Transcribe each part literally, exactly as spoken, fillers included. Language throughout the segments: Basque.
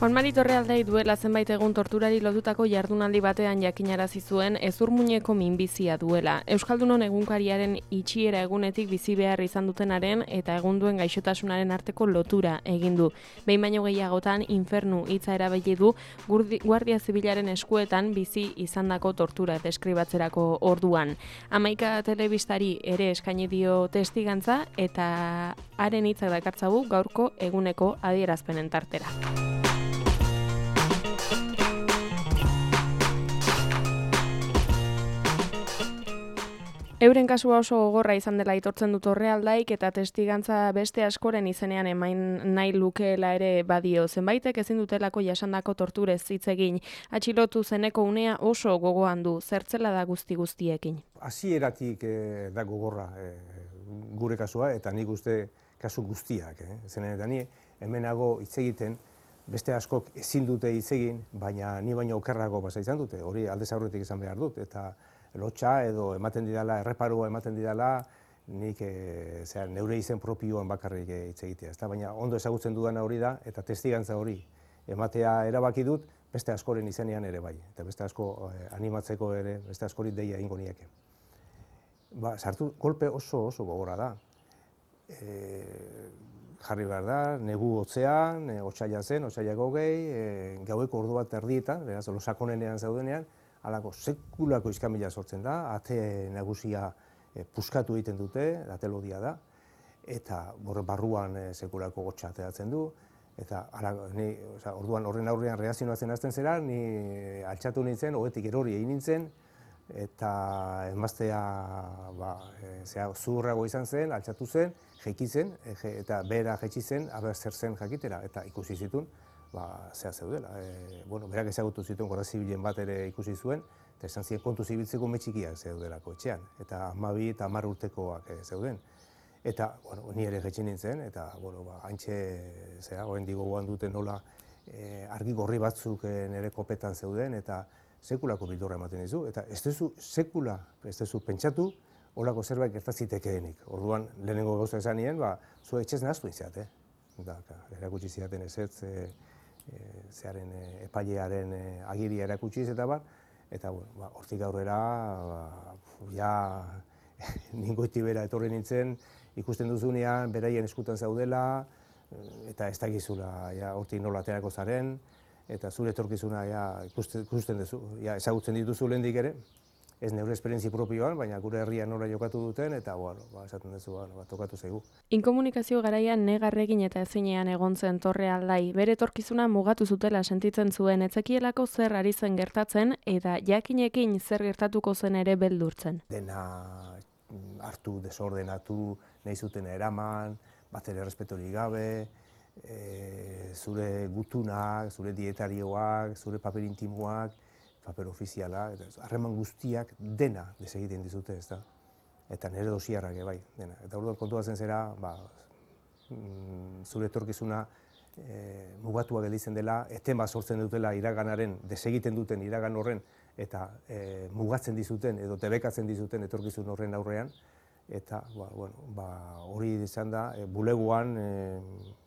Juan Mari Torrealdai duela zenbait egun torturari lotutako jardunaldi batean jakinarazi zuen hezurmuineko minbizia duela. Euskaldunon egunkariaren itxiera egunetik bizi behar izan dutenaren eta egun duen gaixotasunaren arteko lotura egin du. Behin baino gehiagotan infernu hitza erabili du Guardia Zibilaren eskuetan bizi izandako tortura deskribatzerako orduan. Hamaika telebistari ere eskaini dio testigantza eta haren hitzak dakartzagu gaurko eguneko adierazpenen tartera. Euren kasua oso gogorra izan dela aitortzen du Torrealdaik eta testigantza beste askoren izenean emain nahi lukeela ere badio. Zenbaitek ezin dutelako jasandako torturez hitz egin. Atxilotu zeneko unea oso gogoan du, zertzela da guzti guztiekin. Hasieratik eh, da gogorra eh, gure kasua eta nik uste kasu guztiak. Eh. Zenen eta ni hemenago hitz egiten beste askok ezin dute hitz egin, baina ni baino okerrago pasa izan dute. Hori aldez aurretik izan behar dut eta lotxa edo ematen didala, erreparua ematen didala, nik e, zera, neure izen propioan bakarrik hitz egitea. Ezta? Baina ondo ezagutzen dudana hori da, eta testigantza hori ematea erabaki dut, beste askoren izenean ere bai. Eta beste asko eh, animatzeko ere, beste askori deia egingo nieke. Ba, sartu, kolpe oso oso gogorra da. E, jarri behar da, negu hotzean, e, otsaila zen, otsailak hogei, e, gaueko ordu bat erdietan, beraz, losakonenean zaudenean, halako sekulako iskamila sortzen da, ate nagusia e, puskatu egiten dute, atelodia da, eta barruan e, sekulako gotxa ateratzen du, eta ala, ni, oza, orduan horren aurrean reazionatzen hasten zera, ni altxatu nintzen, hogetik erori egin nintzen, eta emaztea ba, e, zera, zuhurrago izan zen, altxatu zen, jeiki zen, e, je, eta behera jetxi zen, aber zer zen jakitera, eta ikusi zituen, ba, zea zeudela. E, bueno, berak ezagutu zituen Guardia Zibilen bat ere ikusi zuen, eta esan ziren kontu zibiltzeko metxikiak zeudelako etxean, eta hamabi eta hamar urtekoak zeuden. Eta, bueno, ni ere jetxin nintzen, eta, bueno, ba, haintxe, zera, orain gogoan duten nola e, argi gorri batzuk e, nire kopetan zeuden, eta sekulako bildurra ematen dizu, eta ez duzu sekula, ez duzu pentsatu, holako zerbait gertazitekeenik. Orduan, lehenengo gauza esan nien, ba, zu etxez nahaztu izat, eh? Da, erakutsi zidaten ezetz, e, e, zearen e, epailearen e, agiria erakutsiz eta bat, eta bueno, ba, hortik aurrera, ba, ja, ningoiti bera etorri nintzen, ikusten duzunean, beraien eskutan zaudela, eta ez dakizula, ja, hortik nola aterako zaren, eta zure etorkizuna ja, ikusten, ikusten duzu, ja, ezagutzen dituzu lehendik ere, ez neure esperientzi propioan, baina gure herrian nola jokatu duten, eta bueno, ba, esaten duzu, bueno, ba, tokatu zaigu. Inkomunikazio garaian negarregin eta ezinean egon zen Torrealdai, bere etorkizuna mugatu zutela sentitzen zuen, etzekielako zer ari zen gertatzen, eta jakinekin zer gertatuko zen ere beldurtzen. Dena hartu, desordenatu, nahi zuten eraman, bat ere errespetorik gabe, e, zure gutunak, zure dietarioak, zure paper intimoak, paper ofiziala, harreman guztiak dena desegiten dizute, ez da? Eta nire dosiarrak bai, dena. Eta orduan kontuatzen zera, ba, zure etorkizuna e, mugatua gelditzen dela, eten bat sortzen dutela iraganaren, desegiten duten iragan horren, eta e, mugatzen dizuten edo debekatzen dizuten etorkizun horren aurrean, eta ba, bueno, ba, hori izan da, e, bulegoan, e,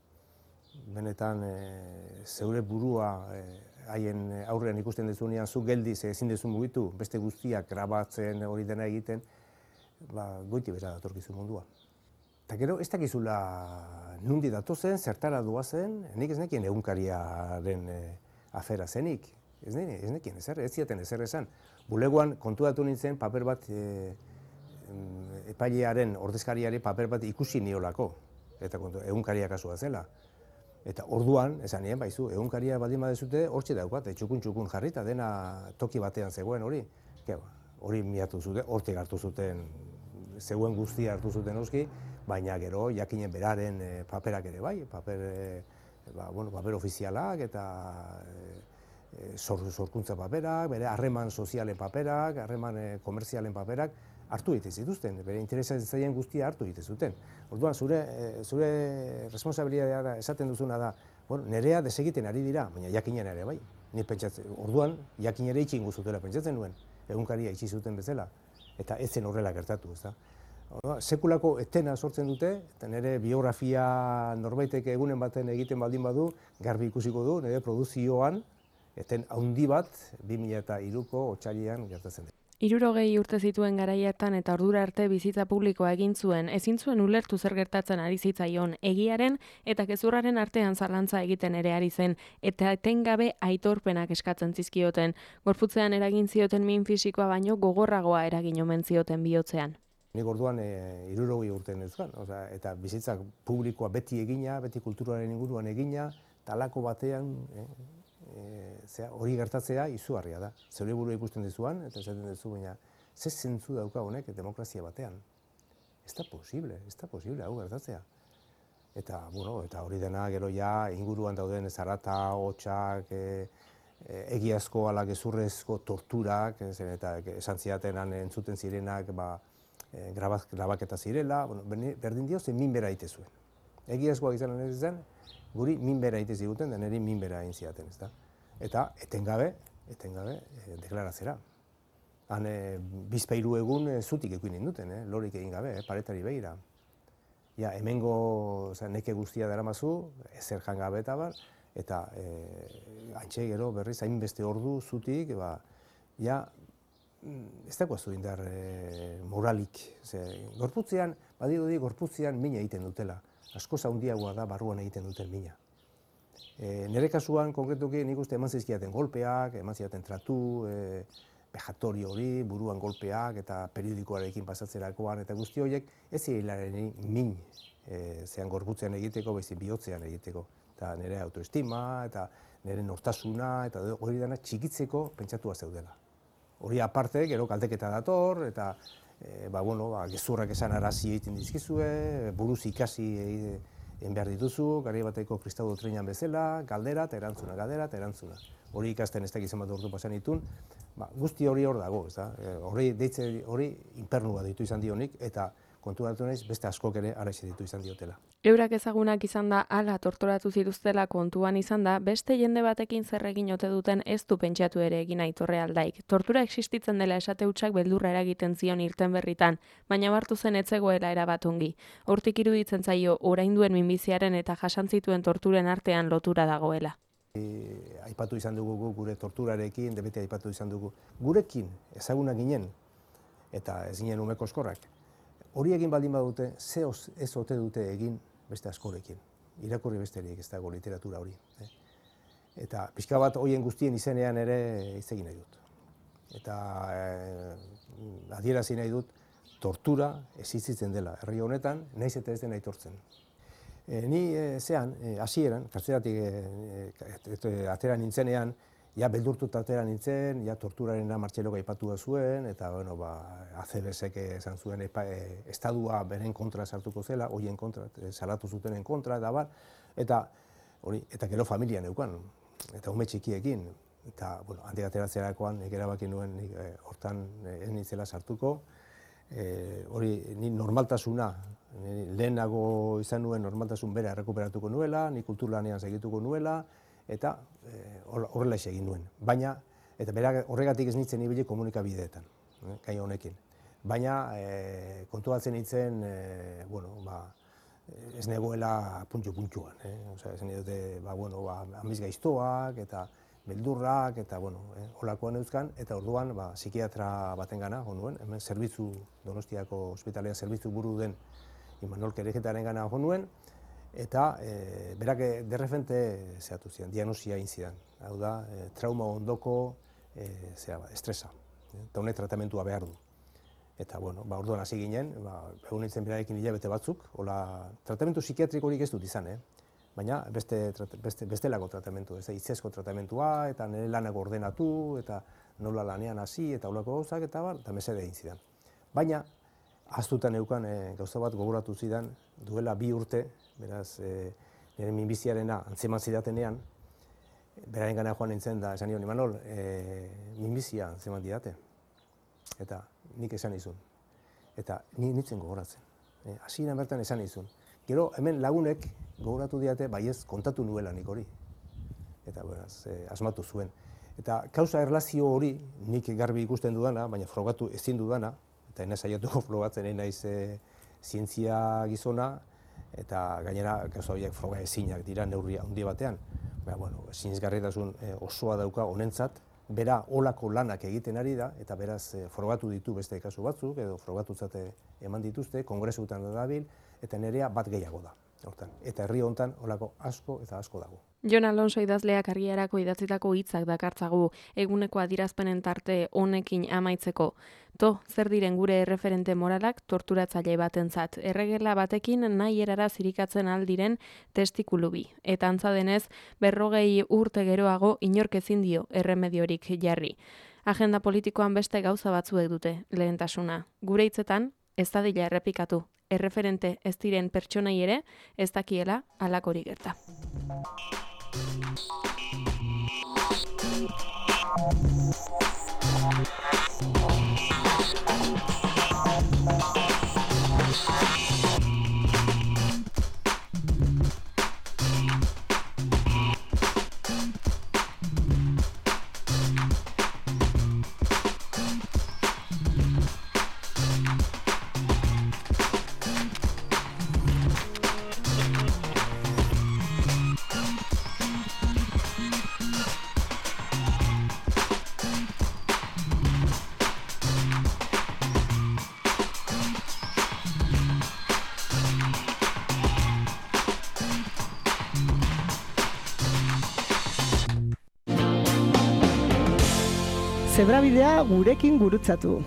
benetan e, zeure burua e, haien aurrean ikusten dezunean, zu geldiz ezin dezu mugitu, beste guztiak grabatzen hori dena egiten, ba, goiti bera datorkizu mundua. Eta gero, ez dakizula nundi datozen, zertara doazen, nik ez nekien egunkariaren e, afera zenik, ez, ne, ez nekien ezer, ez ziaten ezer esan. Bulegoan kontuatu nintzen paper bat, e, epailearen ordezkariari paper bat ikusi niolako, eta kontu, egunkaria kasua zela. Eta orduan, esan nien, baizu, egunkaria baldin badezute, hortxe daukate, txukun-txukun jarrita, dena toki batean zegoen hori. Hori miatu zuten, hortik hartu zuten, zegoen guztia hartu zuten oski, baina gero jakinen beraren e, paperak ere bai, paper, e, ba, bueno, paper ofizialak eta e, sorkuntza paperak, bere harreman sozialen paperak, harreman e, komerzialen paperak, hartu egiten zituzten, bere interesatzen guztia hartu egiten zuten. Orduan, zure, zure responsabilitatea da, esaten duzuna da, bueno, nerea desegiten ari dira, baina jakinen ere bai. Ni pentsatzen, orduan, jakin ere itxingo zutela pentsatzen nuen, egunkaria itxi zuten bezala. eta ez zen horrela gertatu, ez da. Sekulako etena sortzen dute, eta nire biografia norbaitek egunen baten egiten baldin badu, garbi ikusiko du, nire produzioan, eten handi bat, bi mila hiruko otsailean gertatzen da. Hirurogei urte zituen garaiatan eta ordura arte bizitza publikoa egin zuen, ezin zuen ulertu zer gertatzen ari zitzaion, egiaren eta gezurraren artean zalantza egiten ere ari zen, eta etengabe aitorpenak eskatzen zizkioten. Gorputzean eragin zioten min fisikoa baino gogorragoa eragin omen zioten bihotzean. Nik orduan hirurogei urte neuzkan, eta bizitza publikoa beti egina, beti kulturaren inguruan egina, talako batean, hori gertatzea izugarria da. Zeure burua ikusten dizuan, eta esaten duzu, baina ze zentzu dauka honek demokrazia batean. Ez da posible, ez da posible hau gertatzea. Eta, bueno, eta hori dena gero ja inguruan dauden zarata, hotxak, egiazko ala gezurrezko torturak, eta esan zidatenan entzuten zirenak grabaketa zirela, berdin dio zen minbera egite zuen. Egiazkoak izan ez zen, guri minbera egite ziguten, da niri minbera egin zidaten, ez da. Eta etengabe, etengabe, deklarazera. Han bizpairu egun zutik ekuin induten, lorik egin gabe, paretari behira. Ja, hemengo neke guztia daramazu, ezer jangabe eta bar, eta antxe gero berriz hainbeste ordu zutik, ja, ez dagoazu indar moralik. Gorputzean, badirudi gorputzean mina egiten dutela. Askoz handiagoa da barruan egiten duten mina. Nire kasuan, konkretuki, nik uste eman zizkiaten golpeak, eman zizkiaten tratu, vejatorio hori, buruan golpeak eta periodikoarekin pasatzerakoan, eta guzti horiek ez hilaren min zean gorputzean egiteko, baizik bihotzean egiteko. Eta nire autoestima, eta nire nortasuna, eta hori dena txikitzeko pentsatua zeudela. Hori aparte, gero kaldeketa dator, eta gezurrak esan arazi egiten dizkizue, buruz ikasi egin behar dituzu, gari bateko kristau dotrinan bezala, galdera eta erantzuna, galdera eta erantzuna. Hori ikasten ez dakizan bat ordu pasan ditun, guzti hori hor dago, hori deitze hori inpernua ditu izan dionik, eta kontu datu naiz beste askok ere araxe ditu izan diotela. Eurak ezagunak izan da, ala torturatu zituztela kontuan izan da, beste jende batekin zer egin ote duten ez du pentsatu ere egin Aitorre Aldaik. Tortura existitzen dela esate hutsak beldurra eragiten zion irten berritan, baina bartu zen etzegoela erabat ongi. Hortik iruditzen zaio orainduen minbiziaren eta jasan zituen torturen artean lotura dagoela. Aipatu izan dugu gure torturarekin, debete aipatu izan dugu. Gurekin ezagunak ginen, eta ez ginen umeko eskorrak. Hori egin baldin badute, ze ez ote dute egin beste askorekin. Irakurri besterik ez dago literatura hori. Eta pixka bat horien guztien izenean ere hitz egin nahi dut. Eta adierazi nahi dut, tortura existitzen dela herri honetan, nahiz eta ez den aitortzen. Ni zean, hasieran, kartzelatik atera nintzenean, ja beldurtuta atera nintzen, ja torturarena Martxelok aipatu zuen, eta bueno, A C B S-ek esan zuen estadua beren kontra sartuko zela, horien kontra, salatu zutenen kontra, eta bar, eta hori, eta gero familia neukan, eta ume txikiekin, eta, bueno, handik ateratzerakoan, nik erabaki nuen, hortan ez nintzela sartuko, hori, ni normaltasuna, lehenago izan nuen normaltasun bera errekuperatuko nuela, ni kulturlanean segituko nuela, eta horrela egin nuen. Baina, eta horregatik ez nintzen ibili komunikabideetan, gai honekin. Baina, kontu batzen nintzen, ez negoela puntxo-puntxuan. Ez nire, amiz gaiztoak, eta beldurrak, eta holakoan euskan, eta orduan psikiatra baten gana, nuen, hemen zerbitzu, Donostiako ospitalean zerbitzu buru den Imanol Kerejetaren gana nuen, eta berak derrefente zehatu zidan, diagnosia egin zidan. Hau da, trauma ondoko estresa, eta honek tratamentua behar du. Eta, bueno, orduan hasi ginen, egun nintzen berarekin hilabete batzuk, tratamentu psikiatrikorik ez dut izan, baina bestelako tratamentu, hitzezko tratamentua, eta nire lanak ordenatu, eta nola lanean hasi, eta holako gauzak, eta bar, eta mesede egin zidan. Baina, ahaztutan eukan gauza bat gogoratu zidan, duela bi urte, beraz, nire minbiziarena antzeman zidatenean, beraren gana joan nintzen da, esan nion, Imanol, minbizia antzeman didate. Eta nik esan izun. Eta ni nintzen gogoratzen. Hasieran bertan esan izun. Gero, hemen lagunek gogoratu diate, baiez kontatu nuela nik hori. Eta, beraz, asmatu zuen. Eta kausa erlazio hori, nik garbi ikusten dudana, baina frogatu ezin dudana, eta ena saiatuko frogatzen naiz e, zientzia gizona, eta gainera gauza horiek froga ezinak dira neurri handi batean. Ba, bueno, sinesgarritasun e, osoa dauka honentzat, bera olako lanak egiten ari da, eta beraz e, frogatu ditu beste kasu batzuk, edo frogatutzat eman dituzte, kongresuetan da dabil, eta nerea bat gehiago da. Hortan. Eta herri hontan olako asko eta asko dago. Jon Alonso idazleak argiarako idatzitako hitzak dakartzagu eguneko adierazpenen tarte honekin amaitzeko. To, zer diren gure erreferente moralak torturatzaile batentzat, erregela batekin nahi erara zirikatzen aldiren testikulu bi. Eta antza denez, berrogei urte geroago inork ezin dio erremediorik jarri. Agenda politikoan beste gauza batzuek dute lehentasuna. Gure hitzetan, ez dadila errepikatu. Erreferente ez diren pertsonei ere ez dakiela halakori gerta. Zebrabidea gurekin gurutzatu.